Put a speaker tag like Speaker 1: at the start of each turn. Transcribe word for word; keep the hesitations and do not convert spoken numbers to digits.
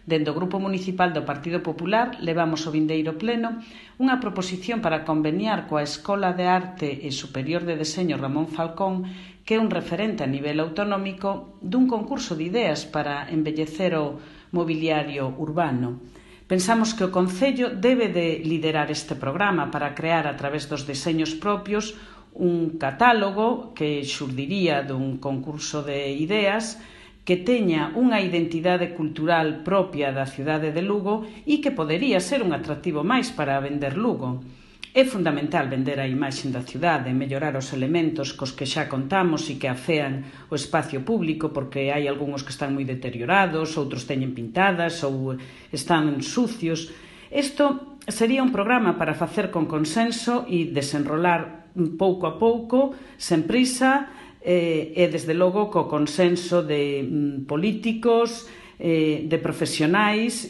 Speaker 1: Dende o Grupo Municipal do Partido Popular levamos ao vindeiro pleno unha proposición para conveniar coa Escola de Arte e Superior de Deseño Ramón Falcón, que é un referente a nivel autonómico dun concurso de ideas para embellecer o mobiliario urbano. Pensamos que o Concello debe de liderar este programa para crear a través dos deseños propios un catálogo que xurdiría dun concurso de ideas que teña unha identidade cultural propia da cidade de Lugo e que podería ser un atractivo máis para vender Lugo. É fundamental vender a imaxe da cidade, mellorar os elementos cos que xa contamos e que afean o espacio público, porque hai algúns que están moi deteriorados, outros teñen pintadas ou están sucios. Isto sería un programa para facer con consenso e desenrolar pouco a pouco, sen prisa, e desde logo co consenso de políticos, de profesionais